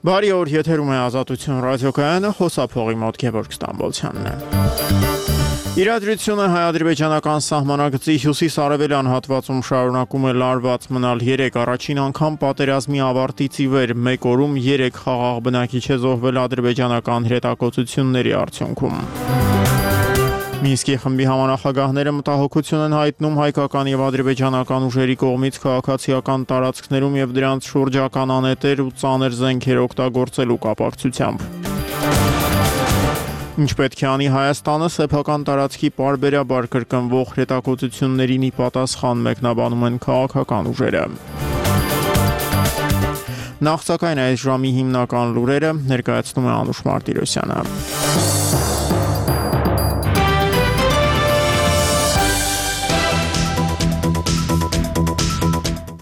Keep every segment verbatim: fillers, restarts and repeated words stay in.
Բարի օր, եթերում է Ազատություն ռադիոկայանը, խոսափողի մոտ Գևորգ Ստամբոլցյանն է։ Իրադրությունը հայ-ադրբեջանական սահմանագծի հյուսիս-արևելյան հատվածում շարունակում է լարված մնալ երեք առաջին անգամ պատերազմի ավարտից ի վեր մեկ օրում երեք խաղաղ բնակիչ է զոհվել ադրբեջանական հրետակոծությունների արդյունքում։ Մինսկի խմբի համանախագահները մտահոգություն են հայտնում հայկական եւ ադրբեջանական ուժերի կողմից քաղաքացիական տարածքներում եւ դրանց շուրջական անետեր ու ծանր զենքեր օգտագործելու կապակցությամբ։ Ինչ պետք է անի Հայաստանը սեփական տարածքի պարբերաբար կրկնվող հրետակոծություններին ի պատասխան մեկնաբանում են քաղաքական ուժերը։ Նախ սակայն այս ժամի հիմնական լուրերը ներկայացնում է Անուշ Մարտիրոսյանը։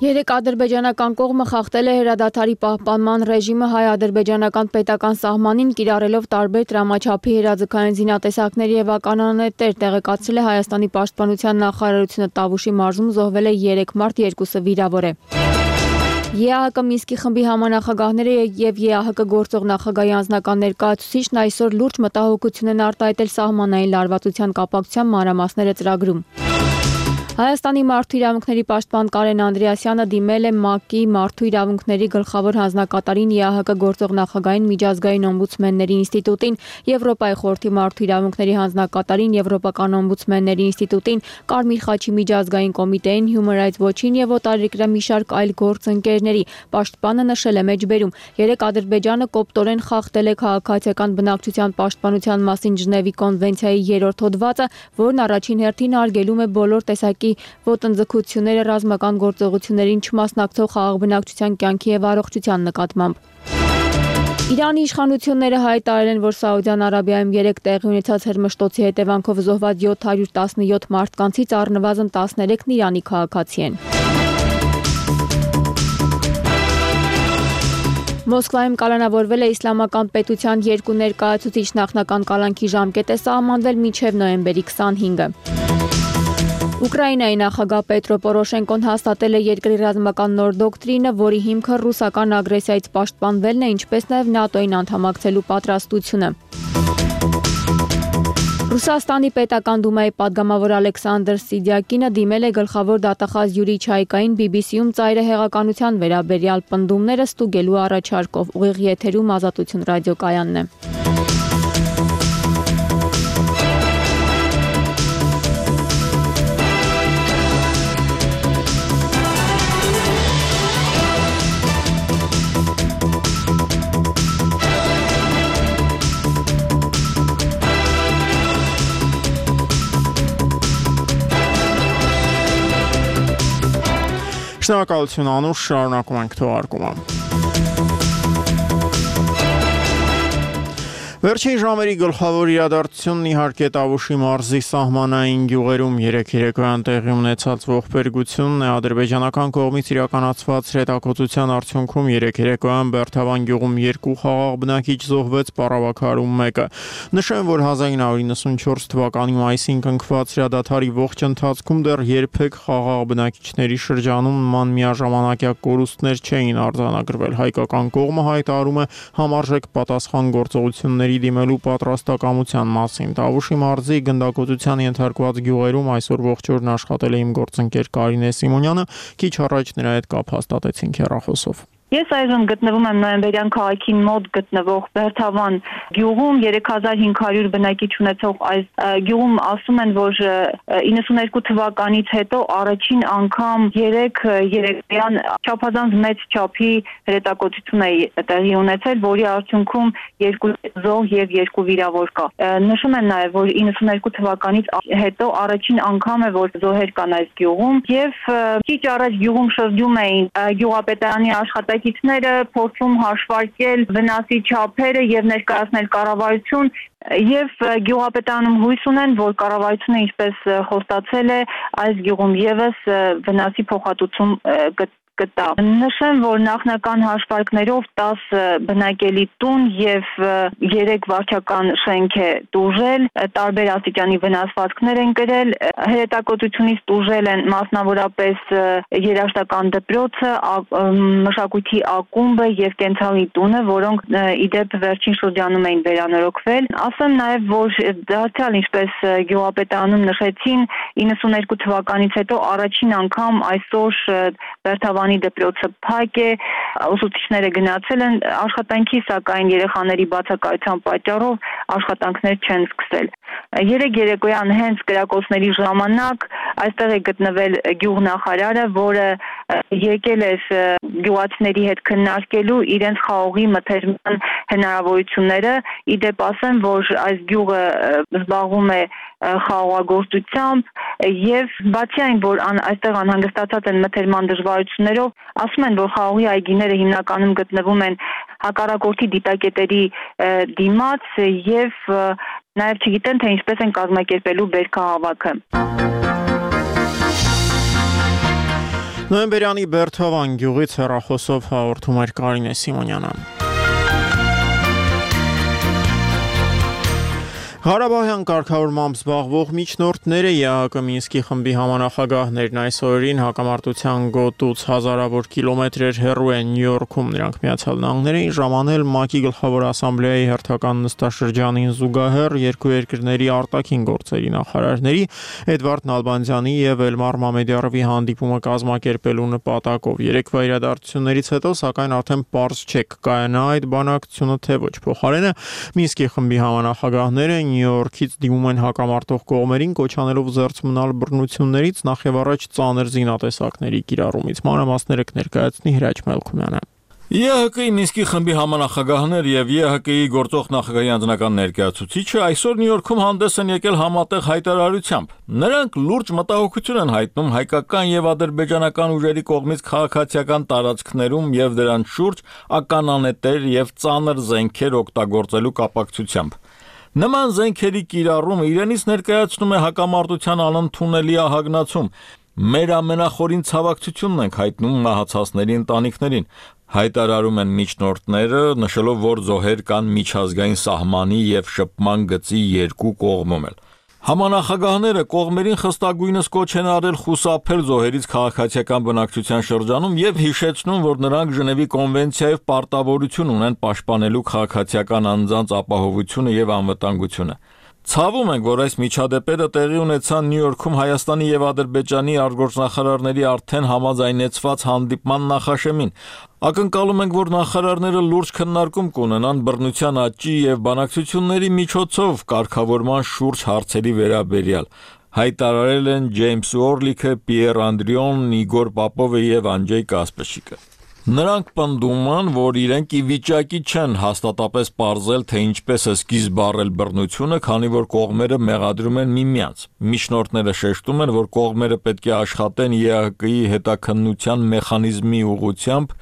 Երեք ադրբեջանական կողմը խախտել է հրադադարի պահպանման ռեժիմը հայ-ադրբեջանական պետական սահմանին կիրառելով տարբեր տրամաչափի հրաձգային զինատեսակներ եւ ականանետեր, տեղեկացրել է Հայաստանի պաշտպանության նախարարությունը։ Տավուշի մարզում զոհվել է երեք մարդ, երկուսը վիրավոր է։ ԵԱՀԿ Մինսկի խմբի համանախագահները եւ ԵԱՀԿ գործող նախագահի անձնական ներկայացուցիչն այսօր լուրջ մտահոգություն են արտահայտել սահմանային լարվածության կապակցությամբ մանրամասները ծրագրում։ Հայաստանի մարդու իրավունքների պաշտպան Կարեն Անդրեասյանը դիմել է ՄԱԿ-ի մարդու իրավունքների գլխավոր հանձնակատարին, ԵԱՀԿ գործող նախագահին, միջազգային օմբուդսմենների ինստիտուտին, Եվրոպայի խորհրդի մարդու իրավունքների հանձնակատարին, Եվրոպական օմբուդսմենների ինստիտուտին, Կարմիր խաչի միջազգային կոմիտեին, Human Rights Watch-ին եւ օտարերկրյա մի շարք այլ գործընկերների։ Պաշտպանը նշել է մեջբերում. երեք Ադրբեջանը կոպտորեն խախտել է քաղաքացիական բնակչության պաշտպանության մասին Ժնևի կոնվենցիայի երրորդ հոդվածը, որն առաջին հերթին արգելում է բոլոր տեսակի ոտնձգությունները ռազմական գործողություններին չմասնակցող խաղաղ բնակչության կյանքի եւ առողջության նկատմամբ։ Իրանի իշխանությունները հայտարարել են, որ Սաուդյան Արաբիայում երեք տեղի ունեցած հրմշտոցի հետևանքով զոհված յոթ հարյուր տասնյոթ մարդկանցից առնվազն տասներեքն Իրանի քաղաքացի են։ Մոսկվայում կալանավորվել է իսլամական պետության երկու ներկայացուցիչ, նախնական կալանքի ժամկետ է սահմանվել մինչև նոյեմբերի քսանհինգը։ Ուկրաինայի նախագահ Պետրո Պորոշենկոն հաստատել է երկրի ռազմական նոր դոկտրինը, որի հիմքը ռուսական ագրեսիայից պաշտպանվելն է, ինչպես նաև ՆԱՏՕ-ին անդամակցելու պատրաստությունը։ Ռուսաստանի պետական դումայի падգամավոր Ալեքսանդր Սիդյակինը դիմել է գլխավոր դատախազ Յուրի Չայկային բի բի սի-ում ծայրահեղականության վերաբերյալ պնդումները ստուգելու առաջարկով։ Ուղիղ եթերում Ազատություն ռադիոկայանն է։ Շնորհակալություն Անուշ, շարունակում ենք թողարկումը։ Վերջին ժամերի գլխավոր իրադարձությունն իհարկե Տավուշի մարզի սահմանային գյուղերում երեք երեկոյան տեղի ունեցած ողբերգությունն է։ Ադրբեջանական կողմից իրականացված հրետակոծության արդյունքում երեք երեկոյան Բերթավան գյուղում երկու խաղաղ բնակիչ զոհվեց, Պարավաքարում մեկը։ Նշեմ, որ հազար նույն հարյուր իննսունչորս թվականի մայիսին կնքված հրադադարի ողջ ընթացքում դեռ երբեք խաղաղ բնակիչների շրջանում նման միաժամանակյա կորուստներ չէին արձանագրվել։ Հայկական կողմը հայտարարում է համարժեք պատասխան գործողությունների դիմելու պատրաստակամության մասին։ Տավուշի մարզի գնդակոծության ենթարկված գյուղերում այսօր ողջ օրն աշխատել է իմ գործընկեր Կարինե Սիմոնյանը, քիչ առաջ նրա հետ կապ հաստատեցինք հեռախոսով։ Ես այժմ գտնվում եմ Նոյեմբերյան քաղաքին մոտ գտնվող Բերթավան գյուղում, երեք հազար հինգ հարյուր բնակիչ ունեցող այս գյուղում ասում են, որ իննսուներկու թվականից հետո առաջին անգամ երեք երեկոյան չափազանց մեծ չափի հրետակոծություն է տեղի ունեցել, որի արդյունքում երկու զոհ եւ երկու վիրավոր կա։ Նշում են նաեւ, որ իննսուներկու թվականից հետո առաջին անգամ է, որ զոհեր կան այս գյուղում եւ քիչ առաջ գյուղում շրջում էին գյուղապետարանի աշխատակիցները, փորձում հաշվարկել վնասի չափերը եւ ներկայացնել կառավարություն եւ գյուղապետարանում հույս ունեն, որ կառավարությունը ինչպես խոստացել է, այս գյուղում եւս վնասի փոխհատուցում կտա։ Նշեմ, որ նախնական հաշվարկներով տասը բնակելի տուն եւ երեք վարչական շենք է տուժել, տարբեր աստիճանի վնասվածքներ են կրել, հրետակոծությունից տուժել են մասնավորապես երաժշտական դպրոցը, մշակույթի ակումբը եւ կենցաղի տունը, որոնք իդեպ վերջին շրջանում էին վերանորոգվել։ Ասեմ նաեւ, որ դարձյալ ինչպես գյուղապետարանում նշեցին, իննսուներկու թվականից հետո առաջին անգամ այսօր Բերթավանի դպրոցը փակ է, ուսուցիչները գնացել են աշխատանքի, սակայն երեխաների բացակայության պատճառով աշխատանքներ չեն սկսել։ Երեք երեկոյան հենց կրակոցների ժամանակ այստեղ է գտնվել գյուղնախարարը, որը եկել էր գյուղացիների հետ քննարկելու իրենց խաղողի մթերման հնարավորությունները։ Իդեպ ասեմ, որ այս գյուղը զբաղվում է խաղողագործությամբ եւ բացի այն, որ այստեղ անհանգստացած են մթերման դժվարություններով, ասում են, որ խաղողի այգիները հիմնականում գտնվում են հակառակորդի դիտակետերի դիմաց եւ նաեւ չգիտեն, թե ինչպես են կազմակերպելու բերքահավաքը։ Նոյեմբերյանի Բերթավան գյուղից հեռախոսով հաղորդում էր Կարինե Սիմոնյանը։ Ղարաբաղյան կարգավորմամբ զբաղվող միջնորդները ԵԱՀԿ Մինսկի խմբի համանախագահներն այս օրերին հակամարտության գոտուց հազարավոր կիլոմետրեր հեռու են Նյու Յորքում։ Նրանք Միացյալ Նահանգներին ժամանել ՄԱԿ-ի Գլխավոր ասամբլեայի հերթական նստաշրջանին զուգահեռ երկու երկրների արտաքին գործերի նախարարների Էդվարդ Նալբանդյանի եւ Էլմար Մամեդյարովի հանդիպումը կազմակերպելու նպատակով։ Երեկվա իրադարձություններից հետո, սակայն արդեն պարզ չէ կկայանա այդ բանակցությունը թե ոչ։ Փոխարենը Մինսկի խմբի համանախագահները Նյու Յորքից դիմում են հակամարտող կողմերին, կոչ անելով զերծ մնալ բռնություններից, նախ եւ առաջ ծանր զինատեսակների կիրառումից։ Մանրամասները կներկայացնի Հրաչ Մելքումյանը։ ԵԱՀԿ-ի Մինսկի խմբի համանախագահներ եւ ԵԱՀԿ-ի գործող նախագահի անձնական ներկայացուցիչը այսօր Նյու Յորքում հանդես են եկել համատեղ հայտարարությամբ։ Նրանք լուրջ մտահոգություն են հայտնում հայկական եւ ադրբեջանական ուժերի կողմից քաղաքացիական տարածքներում եւ դրանց շուրջ ականանետեր եւ ծանր զենքեր օգտագործելու կապակցությամբ։ Նման զենքերի կիրառումը իրենից ներկայացնում է հակամարտության անընդունելի ահագնացում։ Մեր ամենախորին ցավակցությունն ենք հայտնում մահացածների ընտանիքներին։ Հայտարարում են միջնորդները, նշելով, որ զոհեր կան միջազգային սահմանի եւ շփման գծի երկու կողմում էլ։ Համանախագահները կողմերին խստագույնս կոչ են արել խուսափել զոհերից քաղաքացիական բնակչության շրջանում եւ հիշեցնում, որ նրանք Ժնևի կոնվենցիայով պարտավորություն ունեն պաշտպանելու քաղաքացիական անձանց ապահովությունը եւ անվտանգությունը։ Ցավում ենք, որ այս միջադեպերը տեղի ունեցան Նյու Յորքում Հայաստանի եւ Ադրբեջանի արտգործնախարարների արդեն համաձայնեցված հանդիպման նախաշեմին։ Ակնկալում ենք, որ նախարարները լուրջ քննարկում կունենան բռնության աճի եւ բանակցությունների միջոցով կարգավորման շուրջ հարցերի վերաբերյալ։ Հայտարարել են Ջեյմս Օրլիքը, Պիեր Անդրիոն, Իգոր Պապովը եւ Անջեյ Կասպեշիկը։ Նրանք պնդում են, որ իրենք ի վիճակի չեն հաստատապես պարզել, թե ինչպես է սկիզբ առել բռնությունը, քանի որ կողմերը մեղադրում են միմյանց։ Միջնորդները շեշտում են, որ կողմերը պետք է աշխատեն ԵԱՀԿ-ի հետաքննության մեխանիզմի ուղղությամբ,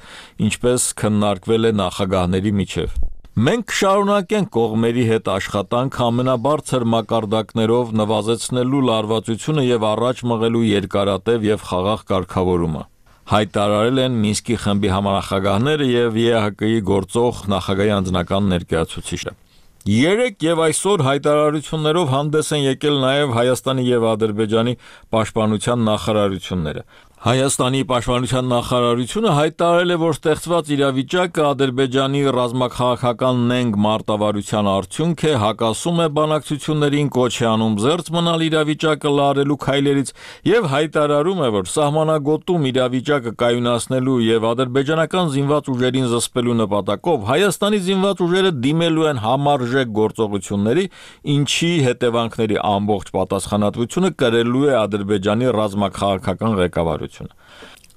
ինչպես քննարկվել է նախագահների միջև։ Մենք կշարունակենք կողմերի հետ աշխատանք ամենաբարձր մակարդակներով նվազեցնելու լարվածությունը եւ առաջ մղելու երկարատև եւ խաղաղ կարգավորումը։ Հայտարարել են Մինսկի խմբի համանախագահները եւ ԵԱՀԿ-ի գործող նախագահի անձնական ներկայացուցիչը։ Երեք եւ այսօր հայտարարություններով հանդես են եկել նաեւ Հայաստանի եւ Ադրբեջանի պաշտպանության նախարարությունները։ Հայաստանի պաշտպանության նախարարությունը հայտարարել է, որ ստեղծված իրավիճակը Ադրբեջանի ռազմաքաղաքական նենգ մարտավարության արդյունք է, հակասում է բանակցություններին, կոչ է անում զերծ մնալ իրավիճակը լարելու քայլերից եւ հայտարարում է, որ սահմանագոտում իրավիճակը կայունացնելու եւ ադրբեջանական զինված ուժերին զսպելու նպատակով Հայաստանի զինված ուժերը դիմելու են համարժեք գործողությունների, ինչի հետևանքների ամբողջ պատասխանատվությունը կրելու է Ադրբեջանի ռազմաքաղաքական ղեկավարությունը։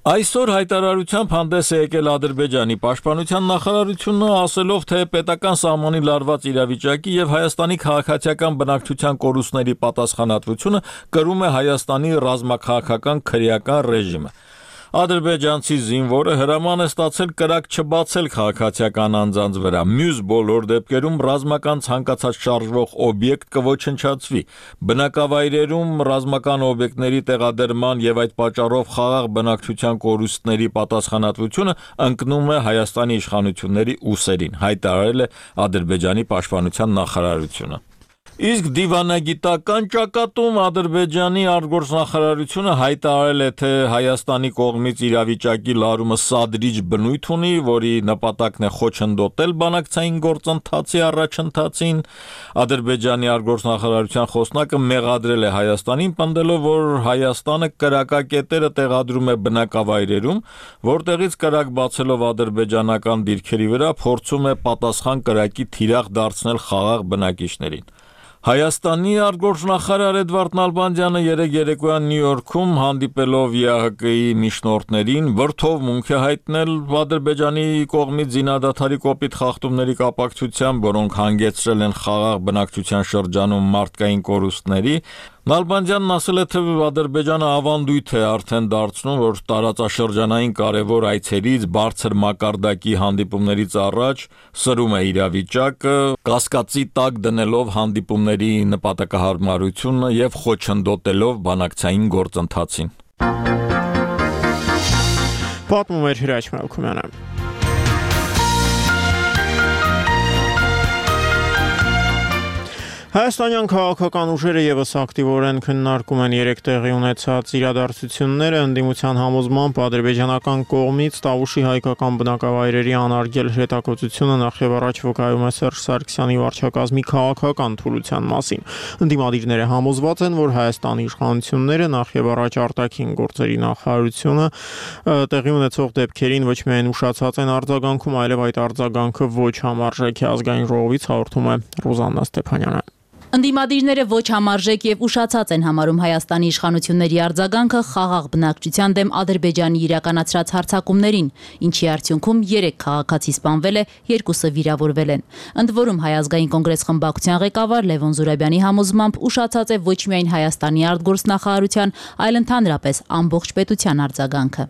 Այսօր հայտարարությամբ հանդես է եկել Ադրբեջանի պաշտպանության նախարարությունը, ասելով, թե պետական սահմանի լարված իրավիճակի եւ Հայաստանի քաղաքացիական բնակչության կորուստների պատասխանատվությունը կրում է Հայաստանի ռազմաքաղաքական քրեական ռեժիմը։ Ադրբեջանցի զինվորը հրաման է ստացել կրակ չբացել քաղաքացիական անձանց վրա։ Մյուս բոլոր դեպքերում ռազմական ցանկացած շարժվող օբյեկտ կոչնչացվի։ Բնակավայրերում ռազմական օբյեկտների տեղադրման եւ այդ պատճառով խաղաղ բնակչության կորուստների պատասխանատվությունը ընկնում է Հայաստանի իշխանությունների ուսերին, հայտարարել է Ադրբեջանի պաշտպանության նախարարությունը։ Իսկ դիվանագիտական ճակատում Ադրբեջանի արտգործնախարարությունը հայտարարել է, թե Հայաստանի կողմից իրավիճակի լարումը սադրիչ բնույթ ունի, որի նպատակն է խոչընդոտել բանակցային գործընթացի առաջընթացին։ Ադրբեջանի արտգործնախարարության խոսնակը մեղադրել է Հայաստանին, պնդելով, որ Հայաստանը կրակակետերը տեղադրում է բնակավայրերում, որտեղից կրակ բացելով ադրբեջանական դիրքերի վրա փորձում է պատասխան կրակի թիրախ դարձնել խաղաղ բնակիչներին։ Հայաստանի արտգործնախարար Էդվարդ Նալբանդյանը երեկ երեկոյան Նյու Յորքում հանդիպելով ԵԱՀԿ-ի միջնորդներին վրդովմունք է հայտնել Ադրբեջանի կողմից զինադադարի կոպիտ խախտումների կապակցությամբ, որոնք հանգեցրել են խաղաղ բնակչության շրջանում մարդկային կորուստների։ Նալբանդյանն ասել է, թե Ադրբեջանը ավանդույթ է արդեն դարձնում, որ տարածաշրջանային կարևոր այցերից բարձր մակարդակի հանդիպումներից առաջ սրում է իրավիճակը, կասկածի տակ դնելով հանդիպումների նպատակահարմարությունը եւ խոչընդոտելով բանակցային գործընթացին։ Պատմում էր Հրաչ Մելքումյանը։ Հայաստանյան քաղաքական ուժերը եւս ակտիվորեն քննարկում են երեք տեղի ունեցած իրադարձությունները, ընդդիմության համոզմամբ ադրբեջանական կողմից Տավուշի հայկական բնակավայրերի անարգել հրետակոծությունը նախ եւ առաջ վկայում է Սերժ Սարգսյանի վարչակազմի քաղաքական թուլության մասին։ Ընդդիմադիրները համոզված են, որ Հայաստանի իշխանությունները նախ եւ առաջ արտաքին գործերի նախարարությունը տեղի ունեցող դեպքերին ոչ միայն ուշացած են արձագանքում, այլև այդ արձագանքը ոչ համարժեք է, ազգային ժողովից հաղորդում է Ռոզաննա Ստեփանյանը։ Ընդդիմադիրները ոչ համարժեք եւ ուշացած են համարում Հայաստանի իշխանությունների արձագանքը խաղաղ բնակչության դեմ Ադրբեջանի իրականացրած հարձակումներին, ինչի արդյունքում երեք քաղաքացի սպանվել է, երկուսը վիրավորվել են։ Ընդ որում Հայ ազգային կոնգրես խմբակցության ղեկավար Լևոն Զուրաբյանի համոզմամբ ուշացած է ոչ միայն Հայաստանի արտգործնախարարության, այլ ընդհանրապես ամբողջ պետության արձագանքը։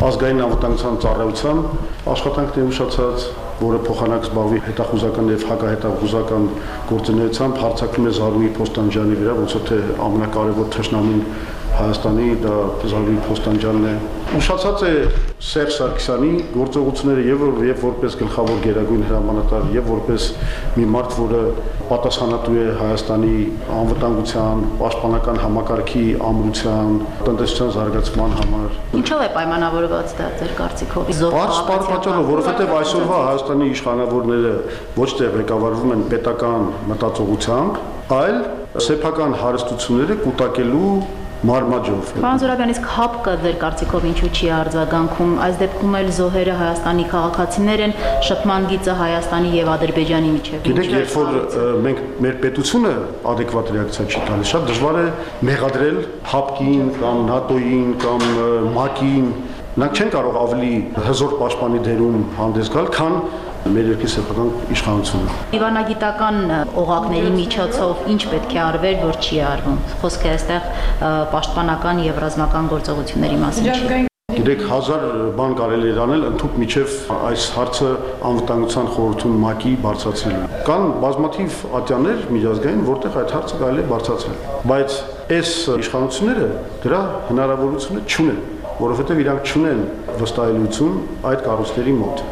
Ազգային անվտանգության ծառայության աշխատանքն է ուշացած, որը փոխանակ զբաղվի հետախուզական եւ հակահետախուզական գործունեությամբ հարձակվում է Զարուհի Փոստանջյանի վրա, ոնց թե ամենակարևոր թշնամին Հայաստանի դա Զարուհի Փոստանջյանն է։ Ուշացած է Սերժ Սարգսյանի գործողությունները եւ եւ որպես գլխավոր գերագույն հրամանատար եւ որպես մի մարդ, որը պատասխանատու է Հայաստանի անվտանգության, պաշտպանական համակարգի ամրության, տնտեսության զարգացման համար։ Ինչով է պայմանավորված դա ձեր կարծիքով։ Բարձ պատճառով, որովհետեւ այսօրվա Հայաստանի իշխանավորները ոչ թե ղեկավարվում են պետական մտածողությամբ, այլ սեփական հարստությունները կուտակելու մարմաջով։ Պարոն Զուրաբյան, իսկ հապկը ձեր կարծիքով ինչու չի արձագանքում, այս դեպքում էլ զոհերը Հայաստանի քաղաքացիներ են, շփման գիծը Հայաստանի եւ Ադրբեջանի միջեւ։ Գիտեք, երբ որ մենք մեր պետությունը adekvat ռեակցիա չի տալիս, շատ դժվար է մեղադրել հապկին կամ ՆԱՏՕ-ին կամ ՄԱԿ-ին։ Նրանք չեն կարող ավելի հզոր պաշտպանի դերում հանդես գալ, քան մեր երկրի սեփական իշխանությունը։ Դիվանագիտական օղակների միջոցով ինչ պետք է արվեր, որ չի արվում։ Խոսքը այստեղ պաշտպանական եւ ռազմական գործողությունների մասին չի։ Գիտեք, հազար բան կարելի է անել ընդհանուր միջև այս հարցը անվտանգության խորհրդում ՄԱԿ-ի բարձրացնելու։ Կան բազմաթիվ ատյաններ միջազգային, որտեղ այդ հարցը կարելի է բարձրացնել։ Բայց այս իշխանությունները դրա հնարավորությունը չունեն, որովհետեւ իրանք չունեն վստահելիություն այդ կառույցների մոտ։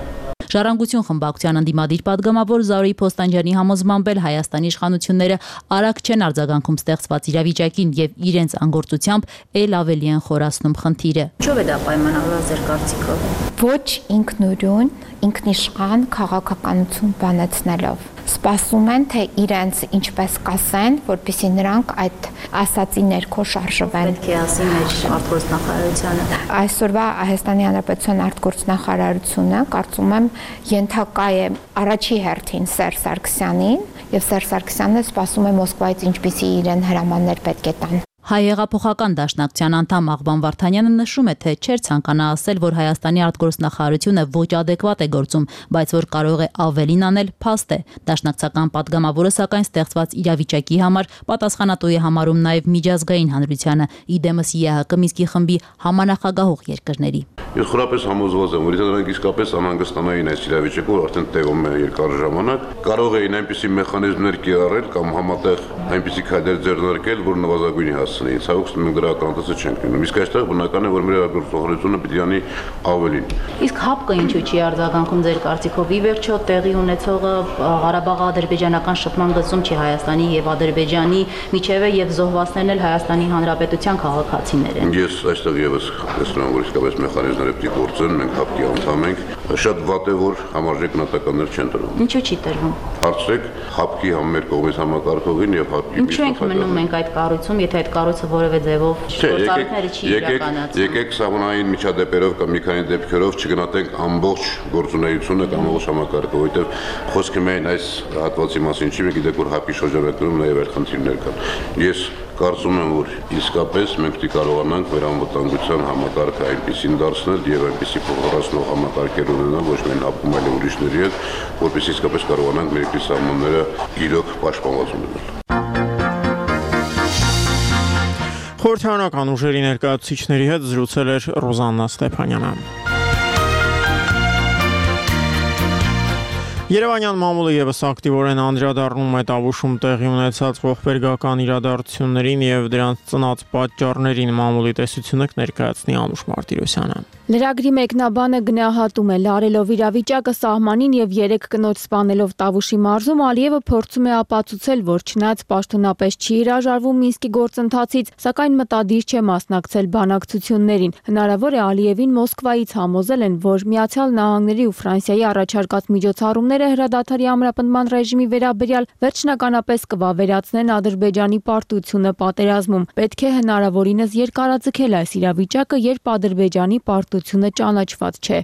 Ժառանգություն խմբակցության ընդդիմադիր պատգամավոր Զարուհի Փոստանջյանի համոզմամբ էլ Հայաստանի իշխանությունները արագ չեն արձագանքում ստեղծված իրավիճակին եւ իրենց անգործությամբ ել ավելի են խորացնում խնդիրը։ Ինչով է դա պայմանավորված ձեր կարծիքով։ Ոչ ինքնուրույն, ինքնիշխան քաղաքականություն բանացնելով սպասում են, թե իրենց ինչպես կասեն, որպեսզի նրանք այդ ասացի ներքո շարժվեն։ Պետք է ասի մեր արտգործնախարարությանը։ Այսօրվա Հայաստանի Հանրապետության արտգործնախարարությունը, կարծում եմ, ենթակա է առաջի հերթին Սերժ Սարգսյանին, եւ Սերժ Սարգսյանը սպասում է Մոսկվայից ինչպիսի իրեն հրամաններ պետք է տան։ Հայեղափոխական դաշնակցության անդամ Աղբան Վարդանյանը նշում է, թե չէր ցանկանա ասել, որ Հայաստանի արտգործնախարարությունը ոչ ադեկվատ է գործում, բայց որ կարող է ավելին անել, փաստ է։ Դաշնակցական падգամավորը սակայն ստեղծված իրավիճակի համար պատասխանատու է համարում նաև միջազգային հանրությանը, իդեմս ԵԱՀԿ Մինսկի խմբի համանախագահող երկրների։ Ես խորապես համոզված եմ, որ եթե նրանք իսկապես անհանգստանային այս իրավիճակով, արդեն տևում է երկար ժամանակ, կարող էին այնպիսի մեխանիզմներ կիրառել կամ համատեղ այնպիսի քայլեր ձեռնարկել, որ նվազագույնի հասցնեին։ Ցավոք մենք դրա ականատեսը չենք լինում։ Իսկ այստեղ բնական է, որ մեր արտգործնախարարությունը պիտի անի ավելին։ Իսկ ՀԱՊԿ-ը ինչու չի արձագանքում ձեր կարծիքով։ Ի վերջո տեղի ունեցողը Ղարաբաղի ադրբեջանական շփման գծում չի Հայաստանի եւ Ադրբեջանի միջև եւ զոհվածներն էլ Հայաստանի Հանրապետության քաղաքացիներ են։ Ես այստեղ եւս տեսնում եմ, որ իսկապես մեխանիզմները պիտի գործեն, մենք ՀԱՊԿ-ի անդամ ենք։ Շատ վատ է, որ համարժեք գնահատականներ չեն տրվում։ Ինչու չի տրվում։ Հարցրեք ՀԱՊԿ-ի համեր կողմից համակարգողին եւ ՀԱՊԿ-ի Ինչու ենք մնում մենք այդ կառույցում, եթե այդ կառույցը որևէ ձևով գործառույթները չի իրականացնում։ Եկեք սահմանային միջադեպերով կամ մի քանի դեպքերով չգնահատենք ամբողջ գործունեությունը կամ ամբողջ համակարգը, որովհետեւ խոսքը միայն այս հատվածի մասին չի, մենք գիտենք, որ ՀԱՊԿ-ի շրջանակներում նաեւ այլ խնդիրներ կան։ Ես կարծում եմ, որ իսկապես մենք պետք է կարողանանք մեր անվտանգության համակարգը այնպեսին դարձնել եւ այնպեսի փոխհարացնող համակարգեր ունենալ ոչ միայն ՀԱՊԿ-ում, այլ ուրիշների հետ, որպեսզի իսկապես կարողանանք մեր երկրի սահմանները իրոք պաշտպանված ունենալ։ Խորհրդարանական ուժերի ներկայացուցիչների հետ զրուցել էր Ռոզաննա Ստեփանյանը։ Երևանյան մամուլը եւս ակտիվորեն անդրադառնում է Տավուշում տեղի ունեցած ողբերգական իրադարձություններին եւ դրանց ծնած պատճառներին մամուլի տեսությունը ներկայացնի Անուշ Մարտիրոսյանը։ Լրագրի մեկնաբանը գնահատում է լարելով իրավիճակը սահմանին եւ երեք կնոջ սպանելով Տավուշի մարզում Ալիևը փորձում է ապացուցել, որ չնայած պաշտոնապես չի հրաժարվում Մինսկի գործընթացից, սակայն մտադիր չէ մասնակցել բանակցություններին։ Հնարավոր է Ալիևին Մոսկվայից համոզել են, որ Միացյալ Նահանգների ու Ֆրանսիայի առաջարկած միջոցառումները հրադադարի ամրապնդման ռեժիմի վերաբերյալ վերջնականապես կվավերացնեն Ադրբեջանի պարտությունը պատերազմում։ Պետք է հնարավորինս երկարաձգել այս իրավիճակը, երբ Ադրբեջանի պարտությունը ճանաչված չէ։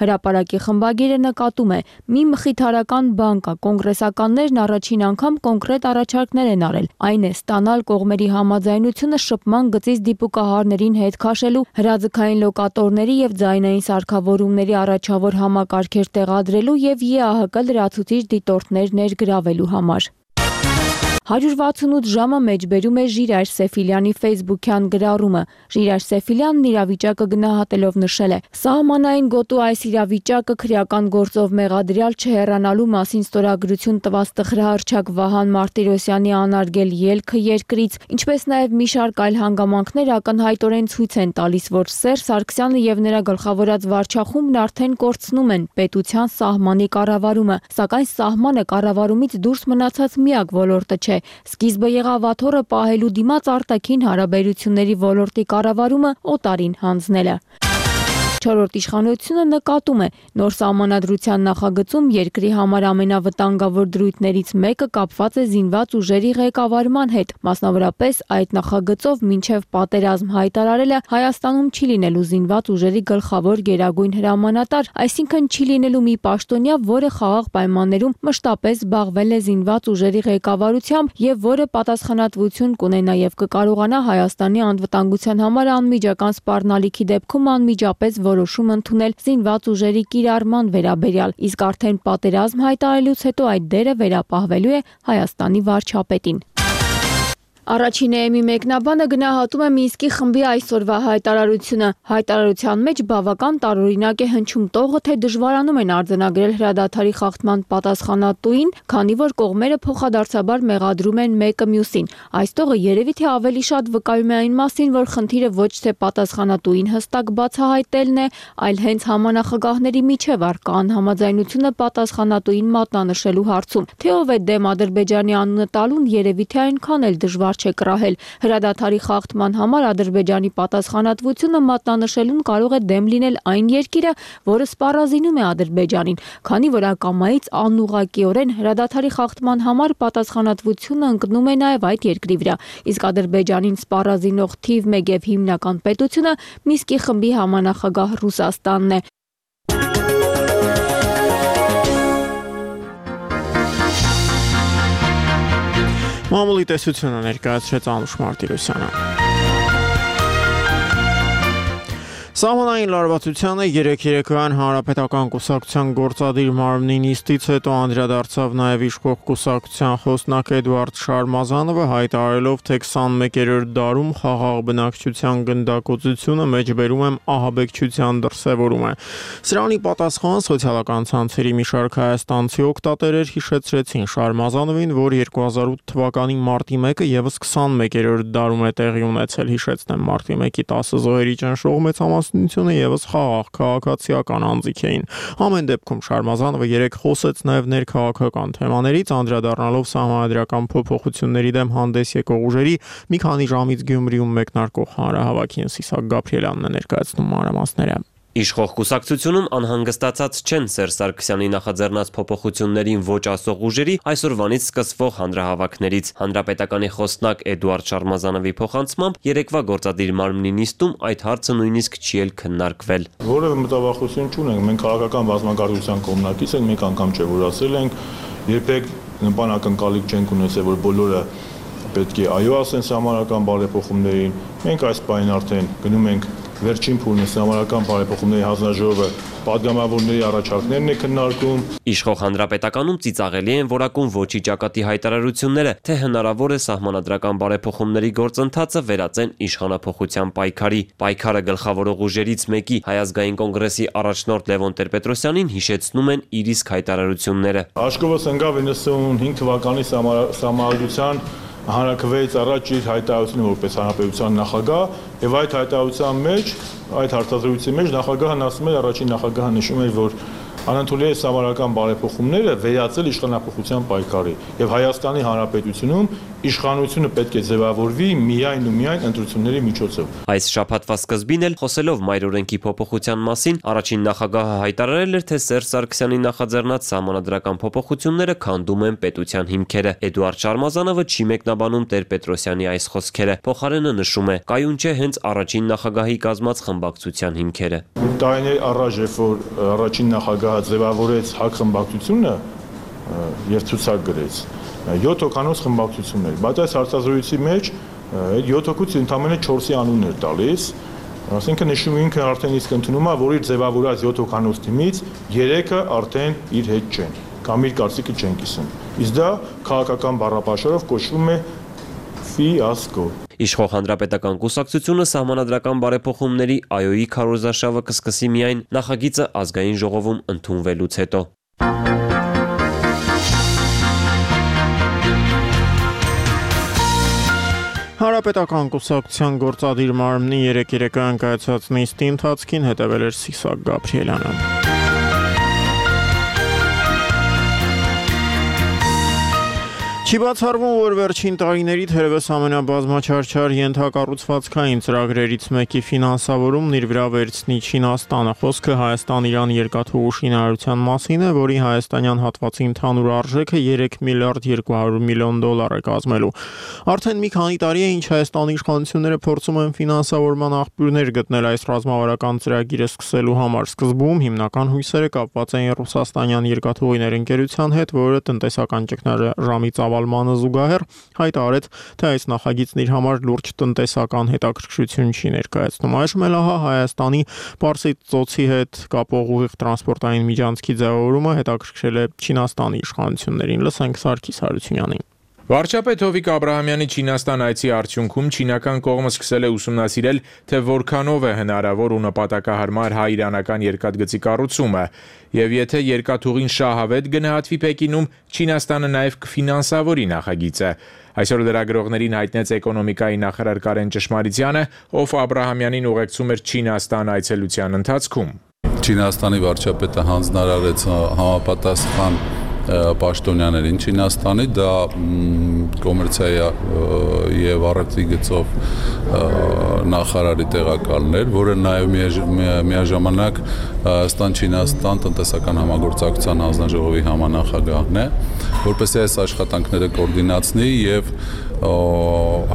Հրապարակի խմբագիրը նկատում է, մի մխիթարական բան կա, կոնգրեսականներն առաջին անգամ կոնկրետ առաջարկներ են արել, այն է ստանալ կողմերի համաձայնությունը շփման գծից դիպուկահարներին հետ քաշելու, հրաձգային լոկատորների եւ ձայնային սարքավորումների առաջավոր համակարգեր տեղադրելու եւ ԵԱՀԿ լրացուցիչ դիտորդներ ներգրավելու համար։ հարյուր վաթսունութ ժամը մեջբերում է Ժիրայր Սեֆիլյանի ֆեյսբուքյան գրառումը։ Ժիրայր Սեֆիլյանն իրավիճակը գնահատելով նշել է. «Սահմանային գոտու այս իրավիճակը քրեական գործով մեղադրյալ չհեռանալու մասին ստորագրություն տված տխրահռչակ Վահան Մարտիրոսյանի անարգել ելքը երկրից, ինչպես նաև մի շարք այլ հանգամանքներ ակնհայտորեն ցույց են տալիս, որ Սերժ Սարգսյանը եւ նրա գլխավորած վարչախումբն արդեն կորցնում են պետության սահմանի կառավարումը, սակայն սահմանը կառավարումից դուրս մնացած միակ ոլորտը չէ։ Սկիզբը եղավ աթոռը պահելու դիմաց արտաքին հարաբերությունների ոլորտի կառավարումը օտարին հանձնելը»։ Չորրորդ իշխանությունը նկատում է, նոր սահմանադրության նախագծում երկրի համար ամենավտանգավոր դրույթներից մեկը կապված է զինված ուժերի ղեկավարման հետ, մասնավորապես այդ նախագծով մինչև պատերազմ հայտարարելը Հայաստանում չի լինելու զինված ուժերի գլխավոր գերագույն հրամանատար, այսինքն չի լինելու մի պաշտոնյա, որը խաղաղ պայմաններում մշտապես զբաղվել է զինված ուժերի ղեկավարությամբ եւ որը պատասխանատվություն կունենա եւ կկարողանա Հայաստանի անվտանգության համար անմիջական սպառնալիքի դեպքում անմիջապես որոշում ընդունել զինված ուժերի կիրառման վերաբերյալ, իսկ արդեն պատերազմ հայտարարելուց հետո այդ դերը վերապահվելու է Հայաստանի վարչապետին։ Առաջին էեմի մեկնաբանը գնահատում է Մինսկի խմբի այսօրվա հայտարարությունը։ Հայտարարության մեջ բավական տարօրինակ է հնչում տողը, թե դժվարանում են արձանագրել հրադադարի խախտման պատասխանատուին, քանի որ կողմերը փոխադարձաբար մեղադրում են մեկը մյուսին։ Այս տողը երևի թե ավելի շատ վկայում է այն մասին, որ խնդիրը ոչ թե պատասխանատուին հստակ բացահայտելն է, այլ հենց համանախագահների միջև առկա անհամաձայնությունը պատասխանատուին մատնանշելու հարցում։ Թե ով է դեմ Ադրբեջանի անունը տալուն, երևի թե այնքան էլ դժվար չէ կռահել։ Հրադադարի խախտման համար Ադրբեջանի պատասխանատվությունը մատնանշելուն կարող է դեմ լինել այն երկիրը, որը սպառազինում է Ադրբեջանին, քանի որ ակամայից անուղղակիորեն հրադադարի խախտման համար պատասխանատվությունը ընկնում է նաև այդ երկրի վրա, իսկ Ադրբեջանին սպառազինող թիվ մեկ եւ հիմնական պետությունը Մինսկի խմբի համանախագահ Ռուսաստանն է։ Մամուլի տեսությունը ներկայացրեց Անուշ Մարտիրոսյանը։ Սահմանային լարվածությանը երեկ երեկոյան Հանրապետական կուսակցության գործադիր մարմնի նիստից հետո անդրադարձավ նաև իշխող կուսակցության խոսնակ Էդուարդ Շարմազանովը, հայտարարելով, թե քսանմեկերորդ դարում խաղաղ բնակչության գնդակոծությունը մեջբերում եմ ահաբեկչության դրսևորում է։ Սրանի պատասխան սոցիալական ցանցերի մի շարք հայաստանցի օգտատերեր հիշեցրեցին Շարմազանովին, որ երկու հազար ութ թվականի մարտի մեկը եւս քսանմեկերորդ դարում է տեղի ունեցել, հիշեցնեմ, մարտի մեկի տասը զոհերի ճնշող մեծամասնությունը եւս խաղաղ քաղաքացիական անձիկ էին։ Ամեն դեպքում Շարմազանովը երեք խոսեց նաև ներքաղաքական թեմաներից, անդրադառնալով սահմանադրական փոփոխությունների դեմ հանդես եկող ուժերի մի քանի ժամից Գյումրիում մեկնարկող հանրահավաքին Սիսակ Գաբրիելյանն է ներկայացնում մանրամասները։ Իշխող կուսակցությունում անհանգստացած չեն Սերժ Սարգսյանի նախաձեռնած փոփոխություններին ոչ ասող ուժերի այսօրվանից սկսվող հանրահավաքներից։ Հանրապետականի խոսնակ Էդուարդ Շարմազանովի փոխանցմամբ երեկվա գործադիր մարմնի նիստում այդ հարցը նույնիսկ չի էլ քննարկվել։ Որևէ մտավախություն չունենք, մենք քաղաքական բազմակարգության կողմնակից ենք, մեկ անգամ չէ որ ասել ենք, երբեք նպանակընկալիք չենք ունեցել, որ բոլորը պետք է այո ասեն սահմանական բարեփոխումներին։ Մենք այս պահին արդեն գնում ենք վերջին փուլն է սահմանական բարեփոխումների հանձնաժողովը պատգամավորների առաջարկներն է քննարկում։ Իշխող Հանրապետականում ծիծաղելի են որակում ոչի ճակատի հայտարարությունները, թե հնարավոր է սահմանադրական բարեփոխումների գործընթացը վերածեն իշխանափոխության պայքարի։ Պայքարը գլխավորող ուժերից մեկի Հայ ազգային կոնգրեսի առաջնորդ Լևոն Տեր-Պետրոսյանին հիշեցնում են իր իսկ հայտարարությունները։ Աշկովս ընկավ իննսունհինգ թվականի սահմանադրության հանրաքվեից առաջ իր հայտարարությունը որպես հանրապետության նախագահ, եւ այդ հայտարարության մեջ, այդ հարցազրույցի մեջ նախագահն ասում էր, առաջին նախագահը նշում էր, որ անընդունելի է սահմանադրական բարեփոխումները վերածել իշխանափոխության պայքարի եւ Հայաստանի Հանրապետությունում իշխանությունը պետք է ձևավորվի միայն ու միայն ընտրությունների միջոցով։ Այս շաբաթվա սկզբին էլ խոսելով մայրօրենքի փոփոխության մասին, առաջին նախագահը հայտարարել էր, թե Սերժ Սարգսյանի նախաձեռնած սահմանադրական փոփոխությունները քանդում են պետության հիմքերը։ Էդուարդ Շարմազանովը չի մեկնաբանում Տեր-Պետրոսյանի այս խոսքերը, փոխարենը նշում է, կայուն չէ հենց առաջին նախագահի կազմած խմբակցության հիմքերը։ Տարիներ առաջ, երբ որ առաջին նախագահը ձևավորեց ՀԱԿ խմբակցությունը եւ ցուցակ գրեց, յոթ հոգանոց խմբակցություններ, բայց այս հարցազրույցի մեջ այդ յոթ հոգուց ընդամենը չորսի անուն էր տալիս, ասենքն նշում ինքը արդեն իսկ ընդունում է, որ իր ձևավորած յոթ հոգանոց թիմից երեքը արդեն իր հետ չեն, կամ իր կարծիքը չեն կիսում։ Իսկ դա քաղաքական բառապաշարով կոչվում է ֆիասկո։ Իշխող Հանրապետական կուսակցությունը սահմանադրական բարեփոխումների այոյի քարոզարշավը կսկսի միայն նախագիծը ազգային ժողովում ընդունվելուց հետո։ Հանրապետական կուսակցության գործադիր մարմնի երեկ երեկոյան կայացած նիստի ընթացքին հետևել էր Սիսակ Գաբրիելյանը։ Չի բացառվում, որ վերջին տարիների թերևս ամենաբազմաչարչար ենթակառուցվածքային ծրագրերից մեկի ֆինանսավորումն իր վրա վերցնի Չինաստանը։ Խոսքը Հայաստան-Իրան երկաթուղու շինարարության մասին է, որի հայաստանյան հատվածի ընդհանուր արժեքը երեք միլիարդ երկու հարյուր միլիոն դոլար է կազմելու։ Արդեն մի քանի տարի է, ինչ Հայաստանի իշխանությունները փորձում են ֆինանսավորման աղբյուրներ գտնել այս ռազմավարական ծրագիրը սկսելու համար։ Սկզբում հիմնական հույսերը կապված էին ռուսաստանյան երկաթուղիներ ընկերության հետ, որը տնտեսական ճգնաժամի ծավալմանը զուգահեռ հայտարարեց, թե այս նախագիծն իր համար լուրջ տնտեսական հետաքրքրություն չի ներկայացնում։ Այժմ էլ ահա Հայաստանի Պարսից ծոցի հետ կապող ուղիղ տրանսպորտային միջանցքի ձևավորումը հետաքրքրել է Չինաստանի իշխանություններին։ Լսենք Սարգիս Հարությունյանին։ Վարչապետ Հովիկ Աբրահամյանի Չինաստան այցի արդյունքում չինական կողմը սկսել է ուսումնասիրել, թե որքանով է հնարավոր ու նպատակահարմար հայ-իրանական երկաթգծի կառուցումը, եւ եթե երկաթուղին շահավետ գնահատվի Պեկինում, Չինաստանը նաեւ կֆինանսավորի նախագիծը։ Այսօր լրագրողներին հայտնեց էկոնոմիկայի նախարար Կարեն Ճշմարիտյանը, ով Աբրահամյանին ուղեկցում էր Չինաստան այցելության ընթացքում։ Չինաստանի վարչապետը հանձնարարեց համապատասխան պաշտոնյաներին Չինաստանի, դա կոմերցիայի եւ առևտրի գծով նախարարի տեղակալներ, որը նաեւ միաժամանակ Հայաստան-Չինաստան տնտեսական համագործակցության հանձնաժողովի համանախագահն է, որպեսզի այս աշխատանքները կոորդինացնի եւ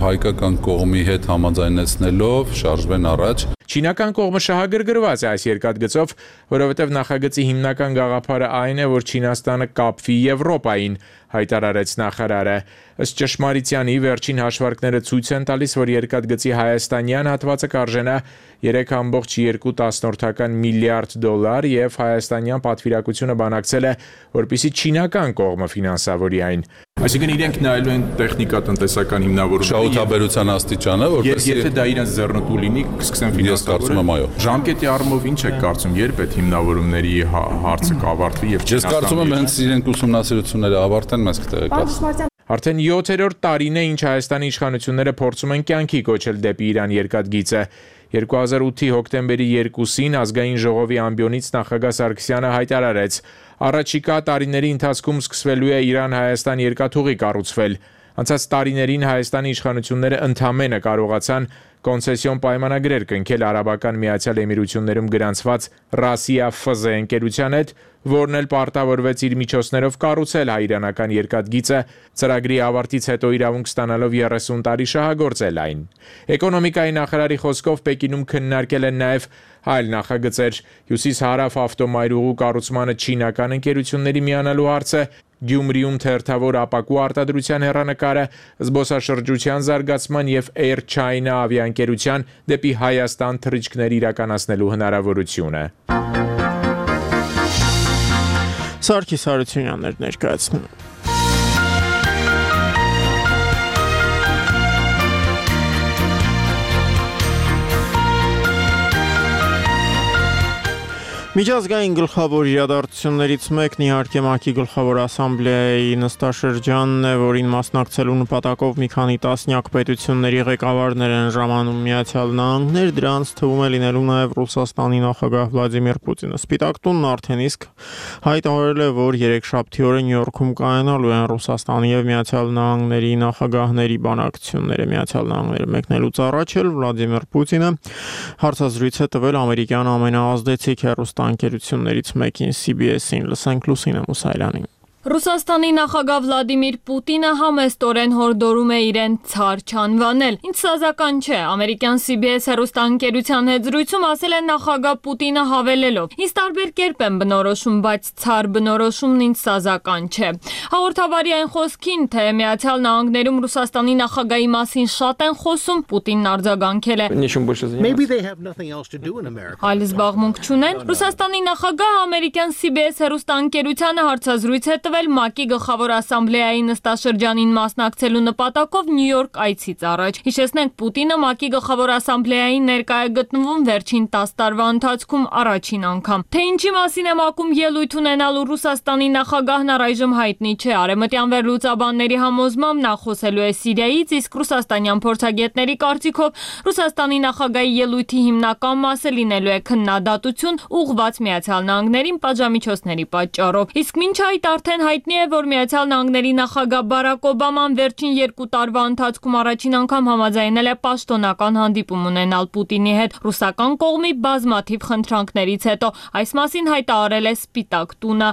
հայկական կողմի հետ համաձայնեցնելով շարժվեն առաջ։ Չինական կողմը շահագրգռված է այս երկաթգծով, որովհետև նախագծի հիմնական գաղափարը այն է, որ Չինաստանը կապվի Եվրոպային, հայտարարեց նախարարը։ Ըստ ճշմարիտյանի վերջին հաշվարկները ցույց են տալիս, որ երկաթգծի հայաստանյան հատվածը կարժենա երեք կόμma երկու միլիարդ դոլար եւ հայաստանյան պատվիրակությունը բանակցել է, որպեսզի չինական կողմը ֆինանսավորի այն։ Այսինքն իրենք նայելու են տեխնիկա-տնտեսական հիմնավորումները, շահութաբերության աստիճանը, որպեսզի եթե դա իրենց ձեռնտու լինի, կսկսեն ֆինանսավորել։ Ժամկետի առումով ինչ եք կարծում, երբ այդ հիմնավորումների հարցը կավարտվի եւ Ես կարծում եմ հենց իրենք ուսումնասիրությունները ավարտեն, մենք կտեղեկացնենք։ Արդեն յոթերորդ տարին է, ինչ Հայաստանի իշխանությունները փորձում են կյանքի կոչել դեպի Իրան երկաթգիծը։ երկու հազար ութի հոկտեմբերի երկուսին ազգային ժողովի ամբիոնից նախագահ Սարգսյանը հայտարարեց. առաջիկա տարիների ընթացքում սկսվելու է Իրան-Հայաստան երկաթուղի կառուցվել։ Անցած տարիներին Հայաստանի իշխանությունները ընդամենը կարողացան կոնցեսիոն պայմանագրեր կնքել Արաբական Միացյալ Էմիրություններում գրանցված Ռասիա Ֆ Զ ընկերության հետ, որն էլ պարտավորվեց իր միջոցներով կառուցել հայ-իրանական երկաթգիծը, ծրագրի ավարտից հետո իրավունք ստանալով երեսուն տարի շահագործել այն։ Էկոնոմիկայի նախարարի խոսքով Պեկինում քննարկել են նաև այլ նախագծեր՝ հյուսիս-հարավ ավտոմայրուղու կառուցմանը չինական ընկերությունների միանալու հարցը, Գյումրիում թերթավոր ապակու արտադրության հեռանկարը, զբոսաշրջության զարգացման եւ Air China ավիաընկերության դեպի Հայաստան թռիչքներ իրականացնելու հնարավորությունը։ Սարգիս Հարությունյանն էր ներկայացնում։ Միջազգային գլխավոր իրադարձություններից մեկն իհարկե ՄԱԿ-ի գլխավոր ասամբլեայի նստաշրջանն է, որին մասնակցելու նպատակով մի քանի տասնյակ պետությունների ղեկավարներ են ժամանում Միացյալ Նահանգներ, դրանց թվում է լինելու նաև Ռուսաստանի նախագահ Վլադիմիր Պուտինը։ Սպիտակ տունն արդեն իսկ հայտարարել է, որ երեքշաբթի օրը Նյու Յորքում կայանալու են Ռուսաստանի եւ Միացյալ Նահանգների նախագահների բանակցությունները։ Միացյալ Նահանգները մեկնելուց առաջ էլ Վլադիմիր Պուտինը հարցազրույց է տվել ամերիկյան ամենաազդեցիկ հեռուստա անկերություններից մեկին C B S-ին, լսենք Լուսինե Մուսայելյանին։ Ռուսաստանի նախագահ Վլադիմիր Պուտինը համեստորեն հորդորում է իրեն ցար չանվանել։ Ինչ սազական չէ, ամերիկյան C B S հեռուստաընկերության հետ զրույցում ասել է նախագահ Պուտինը հավելելով. Ինձ տարբեր կերպ եմ բնորոշում, բայց ցար բնորոշումն ինձ սազական չէ։ Հաղորդավարի այն խոսքին, թե Միացյալ Նահանգներում Ռուսաստանի նախագահի մասին շատ են խոսում, Պուտինն արձագանքել է. Այլ զբաղմունք չունեն։ Ռուսաստանի նախագահը ամերիկյան C B S հեռուստաընկերությանը հարցազրույց է տվել ՄԱԿ-ի գլխավոր ասամբլեայի նստաշրջանին մասնակցելու նպատակով Նյու Յորք այցից առաջ։ Հիշեցնենք, Պուտինը ՄԱԿ-ի գլխավոր ասամբլեային ներկայ է գտնվում վերջին տասը տարվա ընթացքում առաջին անգամ։ Թե ինչի մասին է ՄԱԿ-ում ելույթ ունենալու Ռուսաստանի նախագահն առայժմ հայտնի չէ։ Արևմտյան վերլուծաբանների համոզմամբ նա խոսելու է Սիրիայից, իսկ ռուսաստանյան փորձագետների կարծիքով Ռուսաստանի նախագահի ելույթի հիմնական մասը լինելու է քննադատություն ուղղված Միացյալ Նահանգներին պատժամիջոցների պատճառով։ Իսկ մինչ այդ արդեն հայտնի է, որ Միացյալ Նահանգների նախագահ Բարակ Օբաման վերջին երկու տարվա ընթացքում առաջին անգամ համաձայնել է պաշտոնական հանդիպում ունենալ Պուտինի հետ ռուսական կողմի բազմաթիվ խնդրանքներից հետո։ Այս մասին հայտարարել է Սպիտակ տունը։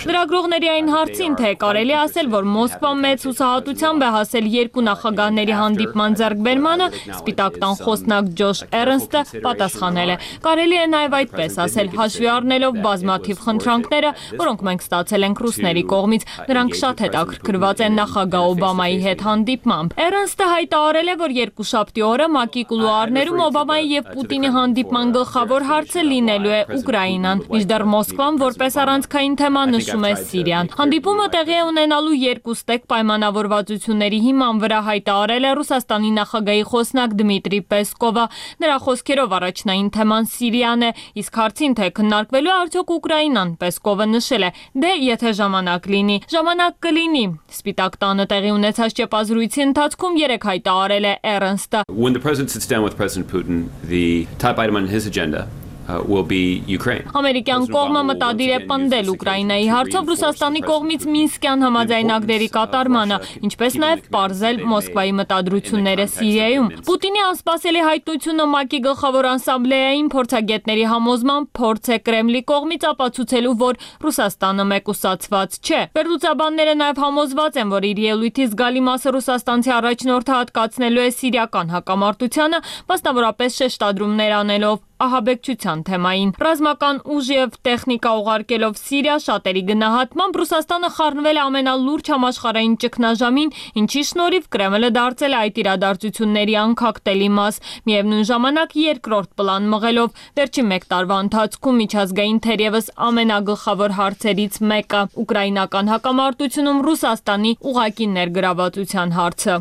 Լրագրողների այն հարցին, թե կարելի ասել, որ Մոսկվան մեծ հուսահատությամբ է հասել երկու նախագահների հանդիպման ձեռքբերմանը, Սպիտակ տան խոսնակ Ջոշ Էրնստը պատասխանել է. Կարելի է նաև այդպես ասել, հաշվի առնելով բազմաթիվ խնդրանքները, որոնք մենք ստացել ենք ռուսների կողմից, նրանք շատ հետաքրքրված են նախագահ Օբամայի հետ հանդիպմամբ։ Էրնստը հայտարարել է, որ երկուշաբթի օրը ՄԱԿ-ի կուլուարներում Օբամայի եւ Պուտինի հանդիպման գլխավոր հարցը լինելու է Ուկրաինան, մինչդեռ Մոսկվան որպես առանցքային թեմա նշում է Սիրիան։ Հանդիպումը տեղի է ունենալու երկու ստեկ պայմանավորվածությունների հիման վրա հայտարարել է Ռուսաստանի նախագահի խոսնակ Դմիտրի Պեսկովը։ Նրա խոսքերով առաջնային թեման Սիրիան է, իսկ հարցին, թե քննարկվելու արդյոք Ուկրաինան, Պեսկովը նշել է. Դե եթե ժամանակ լինի, ժամանակ կլինի։ Սպիտակ տանը տեղի ունեցած ճեպազրույցի ընթացքում երեք հայտարարել է Էրնստը. When the president sits down with President Putin, the top item on his agenda will be Ukraine. Ամերիկյան կողմը մտադիր է պնդել Ուկրաինայի հարցով Ռուսաստանի կողմից Մինսկյան համաձայնագրերի կատարմանը, ինչպես նաև պարզել Մոսկվայի մտադրությունները Սիրիայում։ Պուտինի անսպասելի հայտնությունը ՄԱԿ-ի գլխավոր ասամբլեային փորձագետների համոզման փորձ է Կրեմլի կողմից ապացուցելու, որ Ռուսաստանը մեկուսացված չէ։ Վերլուծաբանները նաև համոզված են, որ իր ելույթի զգալի մասը ռուսաստանցի առաջնորդը հատկացնելու է սիրիական հակամարտությանը, մասնավորապես շեշտադրումներ անելով ահաբեկչության թեմային։ Ռազմական ուժ եւ տեխնիկա ուղարկելով Սիրիա շատերի գնահատմամբ Ռուսաստանը խառնվել է ամենալուրջ համաշխարհային ճգնաժամին, ինչի շնորհիվ Կրեմլը դարձել է այդ իրադարձությունների անկախտելի մաս, միևնույն ժամանակ երկրորդ պլան մղելով վերջին մեկ տարվա ընթացքում միջազգային թերևս ամենագլխավոր հարցերից մեկը՝ ուկրաինական հակամարտությունում Ռուսաստանի ուղղակի ներգրավվածության հարցը։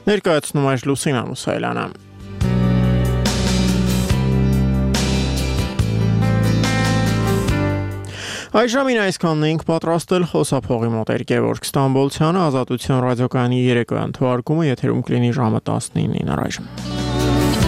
Ներկայացնում է Լուսինա Մուսայելյանը։ Այժմին այսքանն էինք պատրաստել խոսափողի մոտ Գևորգ Ստամբոլցյանը, Ազատություն ռադիոկայանի երեկոյան թողարկումը եթերում կլինի ժամը տասնինին առայժմ։